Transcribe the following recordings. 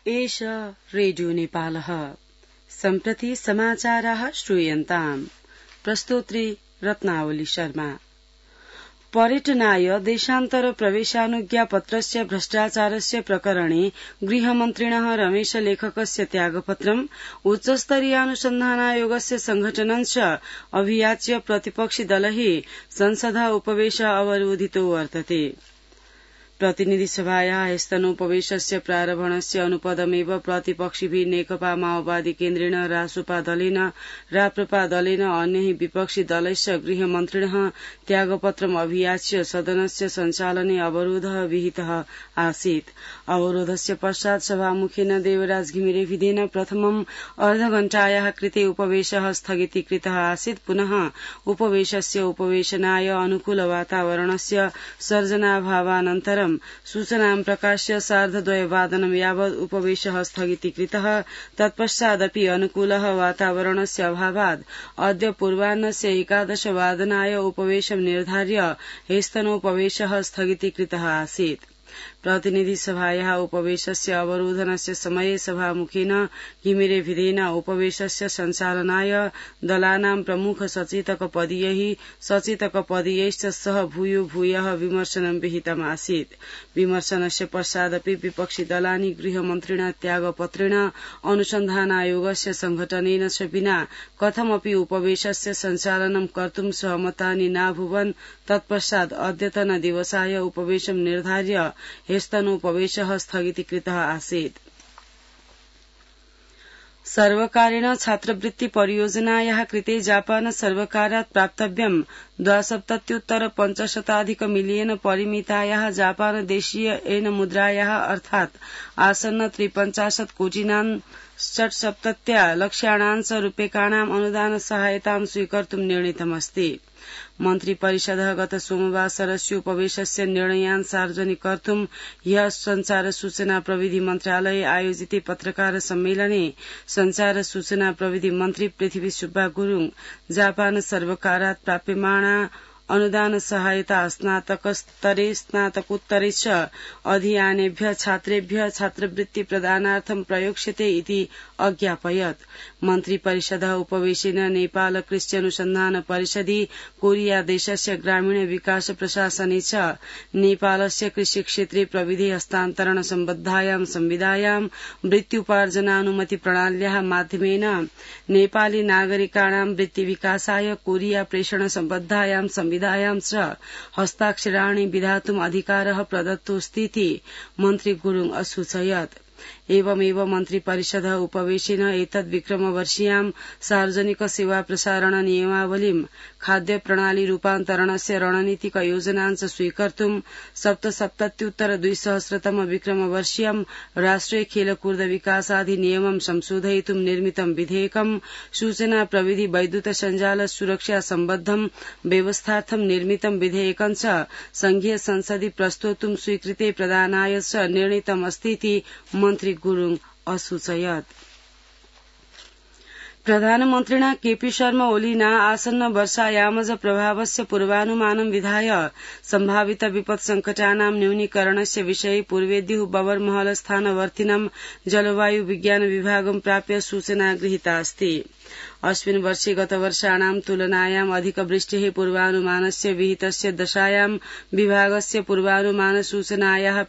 एष रेडियो नेपालः सम्प्रति समाचाराः श्रूयन्ताम्। प्रस्तोत्री रत्नावली शर्मा। पर्यटनाय देशान्तर प्रवेशानुज्ञापत्रस्य भ्रष्टाचारस्य प्रकरणे गृहमन्त्रिणः रमेशलेखकस्य त्यागपत्रम् उच्चस्तरीयानुसन्धानायोगस्य संघटनञ्च अभियाच्य प्रतिपक्षिदलैः संसदः उपवेशः अवरोधितो वर्तते। प्रतिनिधिसभायाः स्तनोपवेशस्य प्रारम्भणस्य अनुपदमेव प्रतिपक्षिभिः नेकपा माओवादी केन्द्रेण रासोपा दलेन राप्रपा दलेन अन्यैः विपक्षी दलैश्च गृहमन्त्रिणः त्यागपत्रम् अभियाच्य सदनस्य सञ्चालने अवरोधः विहितः आसीत्। अवरोधस्य पश्चात् सभामुखेन देवराज घिमिरेभिधेन प्रथमम् अर्धघण्टायाः कृते उपवेशः स्थगितीकृतः आसीत्। पुनः उपवेशस्य उपवेशनाय अनुकूल वातावरणस्य सर्जनाभावानन्तरं सूचनां प्रकाश्य 2:30 यावत् उपवेशः स्थगितीकृतः। तत्पश्चादपि अनुकूलः वातावरणस्य अभावात् अद्य पूर्वाह्नस्य 11 वादनाय उपवेशं निर्धार्य स्तनोपवेशः स्थगितीकृतः आसीत्। प्रतिनिधिसभायाः उपवेशस्य अवरोधनस्य समये सभामुखेन घिमिरेभिधेन उपवेशस्य सञ्चालनाय दलानां प्रमुख सचेतकपदीयैश्च सह भूयः विमर्शनं विहितम् आसीत्। विमर्शनस्य पश्चादपि विपक्षी दलानि गृहमन्त्रिणा त्यागपत्रेण अनुसन्धानायोगस्य संघटनेन च विना कथमपि उपवेशस्य सञ्चालनं कर्तुं सहमतानि नाभूवन्। तत्पश्चात् अद्यतन दिवसाय उपवेशं निर्धार्य स्तनोपवेशः स्थगितीकृतः आसीत्। सर्वकारेण छात्रवृत्ति परियोजनायाः कृते जापान सर्वकारात् प्राप्तव्यं 2,70,500 मिलियन परिमितायाः जापान देशीय येन मुद्रायाः अर्थात् आसन्न 53 कोटिनां 67 लक्ष्याणां रूप्यकाणाम् अनुदान सहायतां स्वीकर्तुं निर्णीतमस्ति। मन्त्रिपरिषदः गत सोमवासरस्य उपवेशस्य निर्णयान् सार्वजनिकर्तुं ह्यः संचार सूचना प्रविधि मन्त्रालये आयोजिते पत्रकार सम्मेलने संचार सूचना प्रविधि मन्त्री पृथ्वी सुब्बा गुरुङ जापान सर्वकारात् प्राप्यमाणा अनुदान सहायता स्नातकोत्तरे च अधीयानेभ्यः छात्रेभ्यः छात्रवृत्ति प्रदानार्थं प्रयोक्ष्यते इति अज्ञापयत्। मन्त्रिपरिषदः उपवेशेन नेपाल कृषि अनुसन्धान परिषदि कोरिया देशस्य ग्रामीण विकास प्रशासने च नेपालस्य कृषिक्षेत्रे प्रविधि हस्तान्तरण सम्बद्धायां संविधायां वृत्त्युपार्जनानुमति प्रणाल्याः माध्यमेन नेपाली नागरिकाणां वृत्ति विकासाय कोरिया प्रेषण सम्बद्धायां संविधायां च हस्ताक्षराणि विधातुम् अधिकारः प्रदत्तोऽस्तीति मन्त्री गुरुङ असूचयत्। एवमेव मन्त्रिपरिषदः उपवेशेन एतद्विक्रमवर्षीयां सार्वजनिक सेवा प्रसारण नियमावलीं खाद्य प्रणाली रूपान्तरणस्य रणनीतिक योजनाञ्च स्वीकर्तुं 77,200 विक्रमवर्षीयं राष्ट्रिय खेलकूद विकासाधिनियमं संशोधयितुं निर्मितं विधेयकं सूचना प्रविधि वैद्युत सञ्जाल सुरक्षा सम्बद्धं व्यवस्थार्थं निर्मितं विधेयकं च संघीय संसदि प्रस्तोतुं स्वीकृते प्रदानाय च निर्णीतमस्तीति मन्त्री गुरुङ असूचयत्। प्रधानमन्त्रिणा केपी शर्मा ओलीना आसन्न वर्षायामज प्रभावस्य पूर्वानुमानं विधाय सम्भावित विपत्सङ्कटानां न्यूनीकरणस्य विषये पूर्वेद्युः बबरमहल स्थानवर्तिनं जलवायु विज्ञान विभागं प्राप्य सूचना गृहीता अस्ति। अस्मिन् वर्षे गतवर्षाणां तुलनायाम् अधिकवृष्टेः पूर्वानुमानस्य विहितस्य दशायां विभागस्य पूर्वानुमान सूचनायाः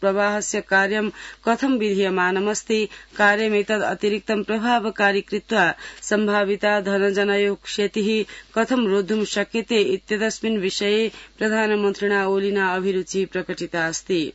प्रवाहस्य कार्यं कथं विधीयमानमस्ति, कार्यमेतद् अतिरिक्तं प्रभावकारी कृत्वा सम्भाविता धनजनयो क्षतिः कथं रोद्धुं शक्यते इत्यस्मिन् विषये प्रधानमन्त्रिणा ओलीना अभिरुचिः प्रकटिता अस्ति।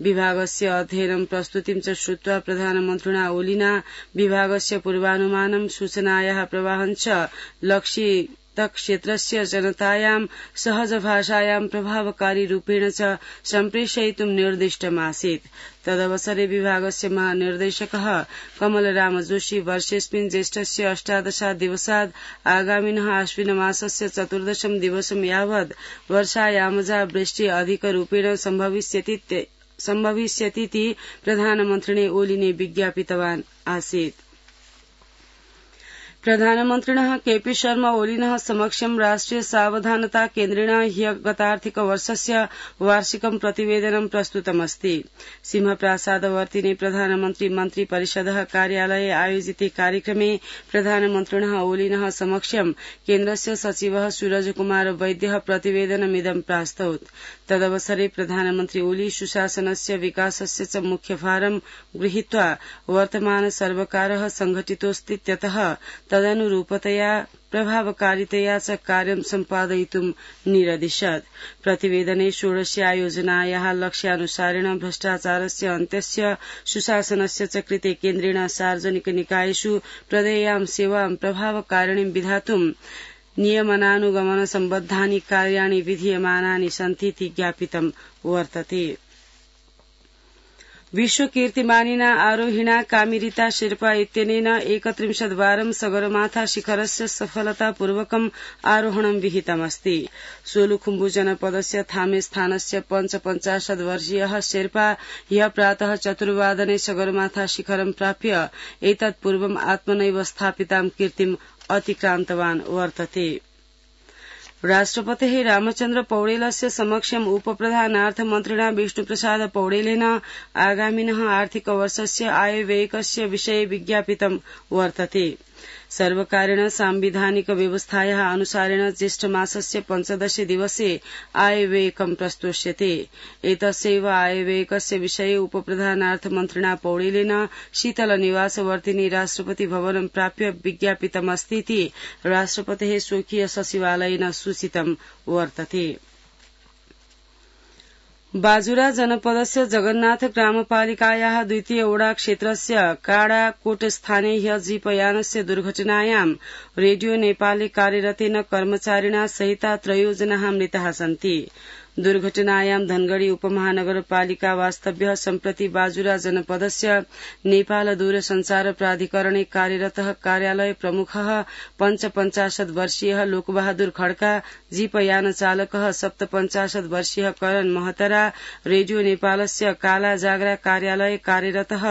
विभागस्य अध्ययनं प्रस्तुतिं च श्रुत्वा प्रधानमन्त्रिणा ओलीना विभागस्य पूर्वानुमानं सूचनायाः प्रवाहं च लक्षित क्षेत्रस्य जनतायां सहज भाषायां प्रभावकारी रूपेण च सम्प्रेषयितुं निर्दिष्टमासीत्। तदवसरे विभागस्य महानिर्देशकः कमलराम जोशी वर्षेऽस्मिन् ज्येष्ठस्य 18 दिवसात् आगामिनः आश्विनमासस्य 14 दिवसं यावत् वर्षायामजा वृष्टि अधिकरूपेण सम्भविष्यतीति प्रधानमन्त्रिणे ओलीने विज्ञापितवान् आसीत्। प्रधानमन्त्रिणः केपी शर्मा ओलिनः समक्षं राष्ट्रिय सावधानता केन्द्रेण ह्य गतार्थिकवर्षस्य वार्षिकं प्रतिवेदनं प्रस्तुतमस्ति। सिंहप्रासादवर्तिने प्रधानमन्त्री मन्त्री परिषदः कार्यालये आयोजिते कार्यक्रमे प्रधानमन्त्रिणः ओलिनः समक्षं केन्द्रस्य सचिवः सूरजकुमार वैद्यः प्रतिवेदनमिदं प्रास्तौत्। तदवसरे प्रधानमन्त्री ओली सुशासनस्य विकासस्य च मुख्यभारं गृहीत्वा वर्तमान सर्वकारः संघटितोऽस्तीत्यतः तदनुरूपतया प्रभावकारितया च कार्यं सम्पादयितुं निरदिशत्। प्रतिवेदने षोडश्या योजनायाः लक्ष्यानुसारेण भ्रष्टाचारस्य अन्त्यस्य सुशासनस्य च कृते केन्द्रेण सार्वजनिक निकायेषु प्रदेयां सेवां प्रभावकारिणीं विधातुं नियमनानुगमन सम्बद्धानि कार्याणि विधीयमानानि सन्तीति ज्ञापितं वर्तते। विश्वकीर्तिमानिना आरोहिणा कामिरिता शेर्पा इत्यनेन 31 वारं सगरमाथा शिखरस्य सफलतापूर्वकम् आरोहणं विहितमस्ति। सोलुखुम्बु जनपदस्य थामे स्थानस्य 55 वर्षीयः शेर्पा ह्यः प्रातः 4 वादने सगरमाथा शिखरं प्राप्य एतत्पूर्वम् आत्मनैव स्थापितां कीर्तिम् अतिक्रान्तवान् वर्तते। राष्ट्रपतेः रामचन्द्र पौडेलस्य समक्षम् उपप्रधानार्थमन्त्रिणा विष्णुप्रसाद पौडेलेन आगामिनः आर्थिकवर्षस्य आयव्ययकस्य विषये विज्ञापितं वर्तते। सर्वकारेण सांविधानिक व्यवस्थायाः अनुसारेण ज्येष्ठमासस्य 15 दिवसे आयव्ययकं प्रस्तोष्यते। एतस्यैव आयव्ययकस्य विषये उपप्रधानार्थमन्त्रिणा पौडेलेन शीतलनिवासवर्तिनि राष्ट्रपति भवनं प्राप्य विज्ञापितमस्तीति राष्ट्रपतेः स्वकीय सचिवालयेन सूचितं वर्तते। बाजुरा जनपदस्य जगन्नाथ ग्रामपालिकायाः द्वितीय ओडा क्षेत्रस्य काडाकोटस्थाने ह्य जीपयानस्य दुर्घटनायां रेडियो नेपाले कार्यरतेन कर्मचारिणा सहिता 3 जनाः मृताः सन्ति। दुर्घटनायां धनगढ़ी उपमहानगरपालिका वास्तव्यः सम्प्रति बाजुरा जनपदस्य नेपाल दूरसञ्चार प्राधिकरणे कार्यरतः कार्यालय प्रमुखः 55 वर्षीयः लोकबहादुर खड्का, जीपयान चालकः 57 वर्षीयः करण महतरा, रेडियो नेपालस्य काला जागरा कार्यालय कार्यरतः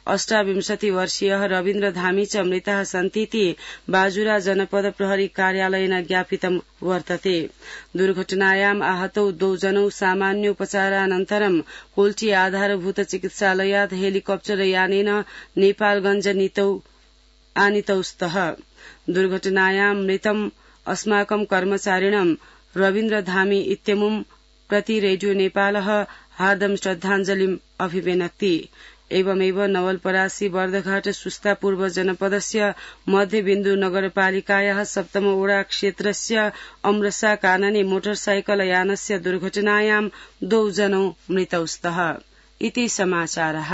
28 वर्षीयः रविन्द्र धामी च मृताः सन्तीति बाजुरा जनपद प्रहरी कार्यालयेन ज्ञापितं वर्तते। दुर्घटनायाम् आहतौ 2 जनौ सामान्योपचारानन्तरं कोल्ची आधारभूत चिकित्सालयात् हेलिकप्टर यानेन नेपालगंज आनीतौ स्तः। दुर्घटनायां मृतम् अस्माकं कर्मचारिणं रविन्द्र धामी इत्यमुं प्रति रेडियो नेपालः हार्दं श्रद्धाञ्जलिम् अभिवेनक्ति। एवमेव नवलपरासी बर्दघाट सुस्ता पूर्व जनपदस्य मध्यबिन्दु नगरपालिकायाः 7 ओडा क्षेत्रस्य अमृसा कानने मोटरसाइकल यानस्य दुर्घटनायां 2 जनौ मृतौ स्तः। इति समाचारः।